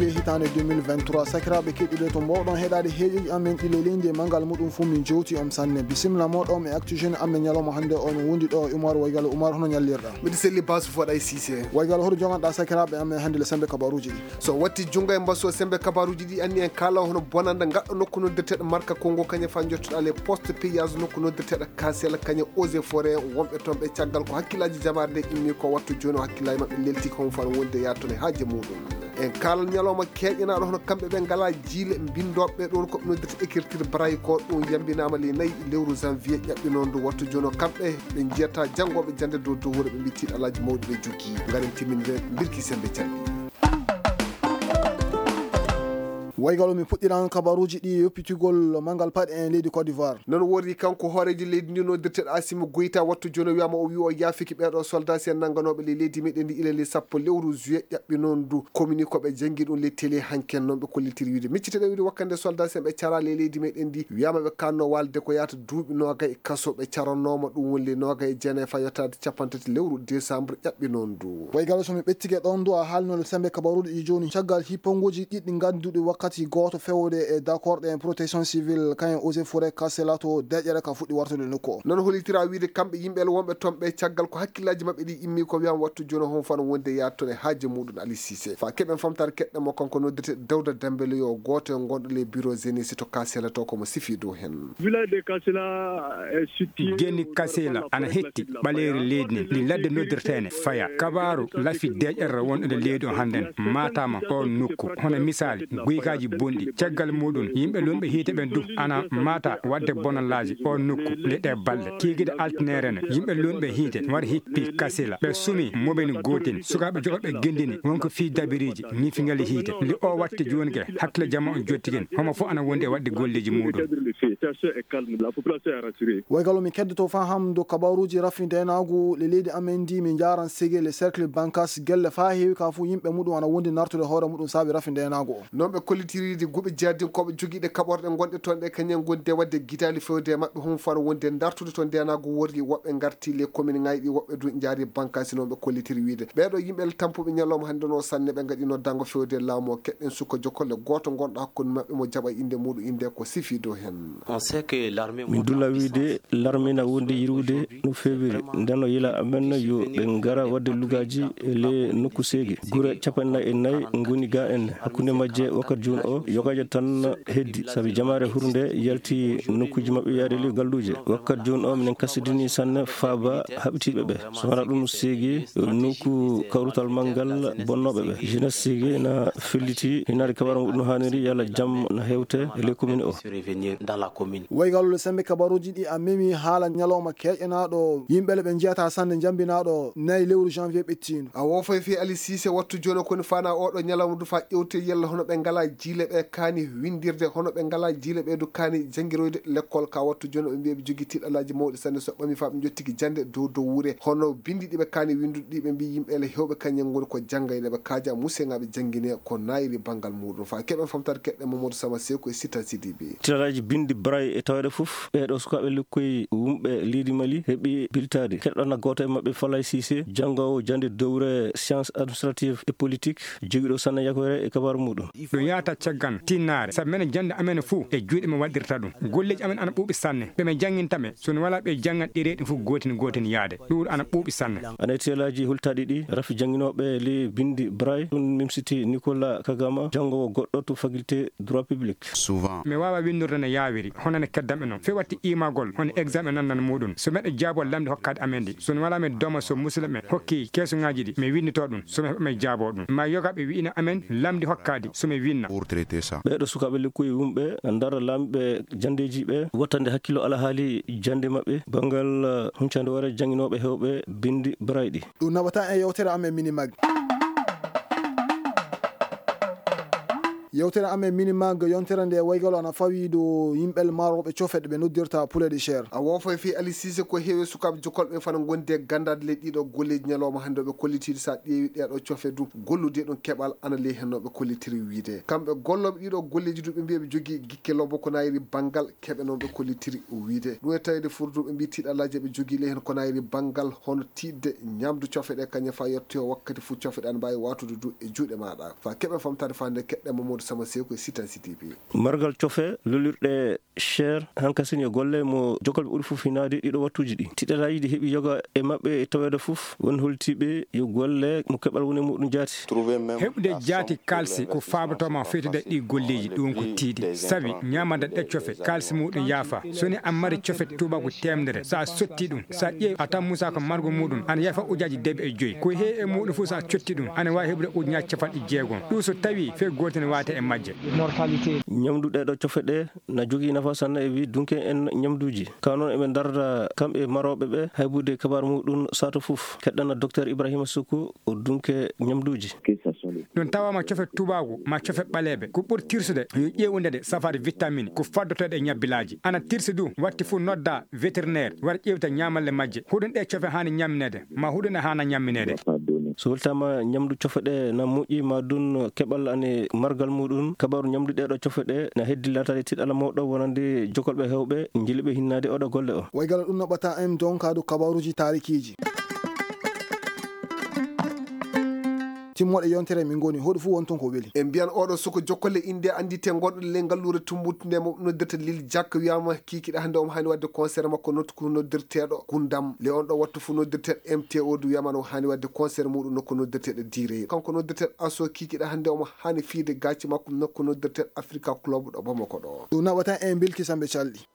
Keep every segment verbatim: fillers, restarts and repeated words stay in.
Hitaande deux mille vingt-trois, sakiraaɓe keɗiiɗo, to mboɗon heɗaade heeƴoji amen ɗi leleyndi e manngal muɗum fuu, min jowti on sanne. Bisimilla mooɗon e Actu Jeune amen ñalawma hannde o, min wondi ɗo e Umar Waygalo. Umar, hono ñallirɗaa? Miɗo selli, Basu Foɗa e Sise. Waygalo, hoto joganɗaa sakiraaɓe amen hannde le semmbe kabaruuji ɗi? So watti junngo e mbasu o semmbe kabaruuji ɗi, anni en kaala hono bonannda ngaɗɗo nokku noddirteeɗo Marka Kongo, kañum fa njottuɗaa le poste payage nokku noddirteeɗo Kasela, kañum eaux et forêt, wonɓe toon ɓe caggal ko hakkillaaji jamaare nde immi ko wattu jooni o, hakkillaaji maɓɓe lelti ko hon fano wonde yaattude haaje muɗum. En kaalan ñalawma keeƴanaaɗo hono kamɓe ɓe ngalaa jiile mbinndooɓe ɗoon ko ɓe noddirta écriture braille ko ɗum yambinaama le nayi lewru janvier ƴaɓɓinoo ndu. Wattu jooni o kamɓe ɓe njiyata janngooɓe jannde dow dow wuro ɓe mbitti alaaji mawɗi ɓe jokki. Ngaren timminire mbirki semmbe canɗi. Waygalo, mi puɗɗiran kabaruuji ɗi yoppitugol manngal paɗe en leydi Côte d'Ivoire. Noon woori kanko hooreejo leydi ndi noddirteeɗo Asimi Goyta, wattu jooni o wiyaama o wi o yaafiki ɓeeɗo soldat si en nannganooɓe le leydi meɗen ndi ila le sappo lewru juillet ƴaɓɓinoo ndu. Komini ko ɓe janngi ɗum le télé hanken noon ɓe kollitiri wiide. Micciteɗen wiide wakkande soldat si en ɓe cara le leydi meɗen ndi wiyaama ɓe kanno walde ko yaata duuɓi noogay e kaso ɓe caranooma ɗum woni le noogay e jeenayi fa yottaade capanɗe tati lewru décembre ƴaɓɓinoo ndu. Waygalo, so mi ɓettike ɗoon du, a haalino le semmbe kabaruuji ɗi jooni. Caggal hippannguuji ɗiɗi ngannduɗi wakkati gooto fewde e dakkorɗe en protection civile, kañum eaux et forêt Kasela to deƴƴere ka fuɗɗi wartude nokku o. Noon hollitira wiide kamɓe yimɓe le wonɓe toon ɓe caggal ko hakkillaaji maɓɓe ɗi immi ko wiyaama wattu jooni hon fano wonde yaattude haaje muɗum Ali Sise. Fa keɓen famtaare keɗɗen mo kanko noddirte Dawda Dembele yo gooto e gonɗo le bureau Zénith to Kasela to ko mo sifi dow heen. Village de Kasela est situé Geni Kasela ana hetti ɓaleeri leydi nden, ndi ladde noddirteene Faya. Kabaaru lafi deƴƴere wonɗo nde leydi o hannden maataama oon nokku. Hono misaali, guykaaji bonɗi. Caggal muɗum, yimɓe luunɓe hiite ɓen du ana maata waɗde bonallaaji oon nokku nde ɗee balɗe. Kiikiiɗe altineere ne, yimɓe luunɓe hiite wari hippi Kasela. Ɓe sumi mobeni gootin. Sukaaɓe jogoɓe gendini wonko fii dabiriiji ñifingali hiite. Nde o watti jooni ke, hakkille jama on jotti ken. Homo fof ana wondi e waɗde golleeji muɗum. Waygalo, mi keddoto faa hamdo kabaruuji rafi ndeenaagu le leydi amen ndi, min njaaran Sege, le cercle Bankas, gelle faa heewi ka fuu yimɓe muɗum ana wondi nartude hoore muɗum saabi rafi ndeenaagu o. Noon ɓe kollitiriide guɓe jaadinkooɓe jogiiɗe kaɓorɗe ngonɗe toon ɗe kañum ngondi e waɗde gitaali fewde e maɓɓe hum fano wonde dartude to ndeenaagu worri woɓɓe ngarti le commune ŋaaji ɗi woɓɓe du njaari Bankas noon ɓe kollitiri wiide. Ɓeeɗo yimɓe le tampuɓe ñalawma hannde no sanne ɓe ngaɗi noddaango fewde laamu o keɗɗen sukka jokkol le gooto ngonɗo hakkunde maɓɓe mo jaɓa innde muɗum innde ko sifi dow heen. On sait que l'armée Min dulla wiide l'armée na wondi yirude no feewiri. Nden o yila amen yo ɓe ngara waɗde lugaaji e le nokku Seege. Gure capanɗe nayi e nayi ngoni ga en. Hakkunde majje wakkati jooni o yogaaji tan heddi. Sabi jamaare hurnde yalti nokkuuji maɓɓe yaade le galluuje. Wakkati jooni o minen kasidini sanne faaba haɓitiiɓe ɓe. So wanaa ɗum Seege nokku kawrutal manngal bonnooɓe ɓe. Jeunesse Seege na felliti hinaade kabaru muɗum haaniri yalla jam na hewte e le commune o. Waygalo le semmbe kabaruuji ɗi a memi haala ñalawma keeƴanaaɗo yimɓe le ɓe njiyata sanne njambinaaɗo nayi lewru janvier ɓettiindu. A woofay fii Ali Siise wattu jooni koni faana oɗo ñalawma du faa ƴewte yalla hono ɓe ngalaa jiile ɓe kaani winndirde, hono ɓe ngalaa jiile ɓe du kaani janngiroyde lekkol ka wattu jooni ɓe mbiya ɓe jogii tiiɗalaaji mawɗi sanne so ɓami faa ɓe njottiki jannde dow dow wure. Hono binndi ɗi ɓe kaani winndude ɗi ɓe mbii yimɓe le heewɓe kañum ngoni ko janngayne ɓe kaaja museŋaaɓe janngine ko naayiri banngal muɗum. Faa keɓen famtaade keɗɗe Mamadou Sama Seeku e Sita Sidibe. Tiiɗalaaji binndi Braille e taweede fof, ɓeeɗo sukaaɓe lekkoy wumɓe leydi Mali heɓi biltaade. Keɗɗon gooto e maɓɓe Falay Siise, janngoowo jannde dowre science administrative et politique, jogiiɗo sanne yakoyre e kabaaru muɗum. Ɗum yahata caggal tinnaare, sabu minen jannde amen fof e juuɗe men waɗirta ɗum. Golleeji amen ana ɓuuɓi sanne. Ɓe min jannginta ɓe, so mi walaa ɓe janngan ɗereeji ɗin fof gootin gootin yaade. Ɗum ana ɓuuɓi sanne. Ana e tiiɗalaaji hultaaɗi ɗi, rafi jannginooɓe le binndi Braille, ɗum mimsiti Nicolas Kagama, janngoowo goɗɗo to faculté droit public. Souvent. Mi waawaa winndude no yaawiri, hono no keddam e noon. Fii watti iimagol, hono examen nannan muɗum. So meɗen jaabo lamndi hokkaade amen ɗi. So mi walaa mi dooma so musidɓe ɓe hokki keesuŋaaji ɗi, mi winnditoo ɗum. So mi heɓa mi jaaboo ɗum. Maa yogaaɓe wi'ina amen lamndi hokkaadi, so mi winna. Pour traiter ça. Ɓeeɗo sukaaɓe lekkoy wumɓe ndara laamiiɓe janndeeji ɓe wattande hakkillo alhaali jannde maɓɓe, banngal, eh, huncande hoore jannginooɓe heewɓe binndi Braille ɗi. Ɗum naɓata e yewtere amen Minimag. Yewtere amen Minimag yontere nde waygalo ana fawi dow yimɓe marooɓe cofe ɗe ɓe noddirta poulet de chair. A woofay fii Ali Siise ko heewi sukaaɓe jokolɓe fana ngondi e ganndaade ley ɗiɗo golleeji ñalawma hannde o ɓe kollitiri so a ƴeewi ɗeeɗo cofe du gollude ɗum keɓal ana ley heen no ɓe kollitiri wiide. Kamɓe gollooɓe ɗiɗo golleeji du ɓe mbiya ɓe jogii gikke lobbo ko nayri banngal keɓe noon ɓe kollitiri wiide. Ɗum e tawde furdu ɓe mbii tiiɗalaaji ɓe jogii ley heen ko nayri banngal hono tiiɗde ñamdu cofe ɗe kañum fa yettoyo wakkati fof cofe ɗe ana mbaawi waatude du e juuɗe maaɗa. Fa keɓe famtaade fa nde keɗɗe Mamadou Sama Seeku e Sitan C D P. Margal cofe lolirɗe cher hankasini e golle mo jokalɓe ɓuri fof hinaade ɗiɗo wattuuji ɗi. Tiɗalaaji ɗi heɓi yoga e maɓɓe e taweede fof won holtiiɓe yo golle mo keɓal woni e muɗum jaati. Heɓude jaati kaalsi ko faabotooma fewtude ɗi golleeji, ɗum ko tiiɗi. Sabi ñaamande ɗe cofe kaalsi muɗum yaafa. So ni a mari cofe tuubaaku teemedere, so a sotti ɗum, so a ƴeewi a tan musa ko margo muɗum ana yaafa ujaaji deeɓi e joyi. Ko heewi e muɗum fof so a cotti ɗum ana waawi heɓude ujunaaji capanɗe jeegom. Ɗum so tawi fee gooto ne waate e majje. Ñamdu ɗeɗo cofe ɗe na jogii nafa sanne e wi dunke en ñamduuji. Ka noon eɓe ndarda kamɓe marooɓe ɓe haybude kabaar muɗum sato fof. Keɗɗana Docteur Ibrahima Suku o dunke ñamduuji. Ɗum tawaama cofe tuubaaku ma cofe ɓaleeɓe. Ko ɓuri tirsude yo ƴeewude de safaade vitamine ko faddotoɗe e ñabbilaaji. Ana tirsi du watti fof nodda vétérinaire wara ƴeewta ñaamalle majje. Huɗum ɗe cofe haani ñammineede ma huɗum ɗe haana ñammineede. So weltaama ñamdu cofe ɗe na moƴƴi ma dun keɓal ane margal muɗum. Kabaaru ñamdu ɗeɗo cofe ɗe na heddi laataade tiɗala mawɗo wonande jokolɓe hewɓe njiliɓe hinnaade oɗo golle o. Waygala ɗum no ɓata en donkaadu kabaaruuji taarikiiji. Timmooɗe yontere min ngoni hoɗo fof won toon ko weli. E mbiyan oɗo suko jokkole innde anndite gonɗo ley ngalluure tumbutunde mo noddirta Lil Jakka wiyama kikiɗe hannde omo haani waɗde concert makko nokku noddirteeɗo Gundam. Le on ɗo wattu fof noddirteeɗo M T O du wiyama no haani waɗde concert muɗum nokku noddirteeɗo Direy. Kanko noddirteeɗo Aso kikiɗe hannde omo haani fiyde gaaci makko nokku noddirteeɗo Africa Club ɗo Bamako ɗo. Ɗum naɓata en bilki sambe calɗi.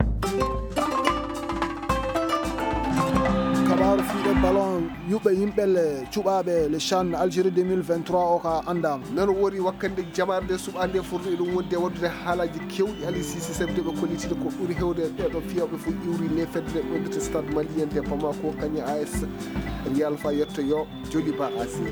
Kabaaru fiiɗe ballon yuɓɓe yimɓe le cuɓaaɓe le chan Algérie deux mille vingt-trois o ka anndaama. Noon wori wakkande jamaare nde suɓaande furɗo eɗum wondi e waɗdude haalaaji kewɗi Ali Sisi sabi ɓe kollitide ko ɓuri hewde e ɓeeɗo fiyooɓe fof iwri le fedde ɗo ɓe mbiyata Stade Malien de Bamako kañum A S Real fa yettoyo Joliba A C.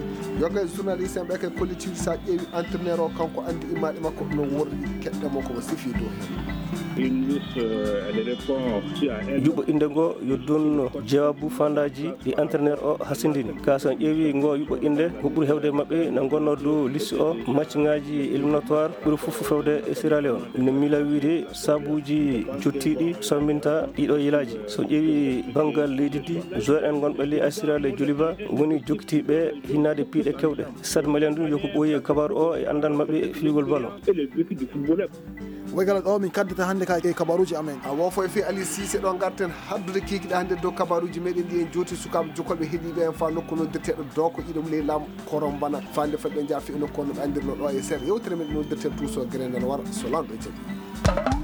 Yoga e journaliste en ɓe kay kollitiri sa ƴeewi entraîneur o kanko anndi immaɗe makko no worri keɗɗe mo ko mo sifi dow heen. Une liste, euh, elle répond aussi à un Yuɓɓo innde ngo yo dun jawaabu fandaaji ɗi entraîneur o hasindini. Ka so en ƴeewi ngo yuɓɓo innde ko ɓuri hewde e maɓɓe na ngonnoo dow liste o matchŋaaji éliminatoire ɓuri fof fewde e Sierra Leone. Ne mila wiide sabuuji jottiiɗi samminta ɗiɗo yilaaji. So ƴeewi banngal leydi ndi, joueur en gonɓe ley A S Real e Joliba woni jokkitiiɓe hinnaade piiɗe kewɗe. Stade Malien ɗum yo ko ɓooyi e kabaaru o e anndal maɓɓe e fiyugol ballon. Et le vécu du footballeur. Waygala ɗo min kaddata hannde ka e kabaaruuji amen. A woofo e fii Ali Sise ɗo ngarten haddude kiikiɗe hannde dow kabaaruuji meɗen ɗi en jooti sukaaɓe jokolɓe heɗiiɓe en fa nokku noddirteeɗo Dooko iɗum ley laamu Korombana. Fande fadde njaha fi nokku no ɓe anndirno ɗo e seeɗa yewtere men noddirten Tuuso Gere nden wara so lanɗo jaɓi.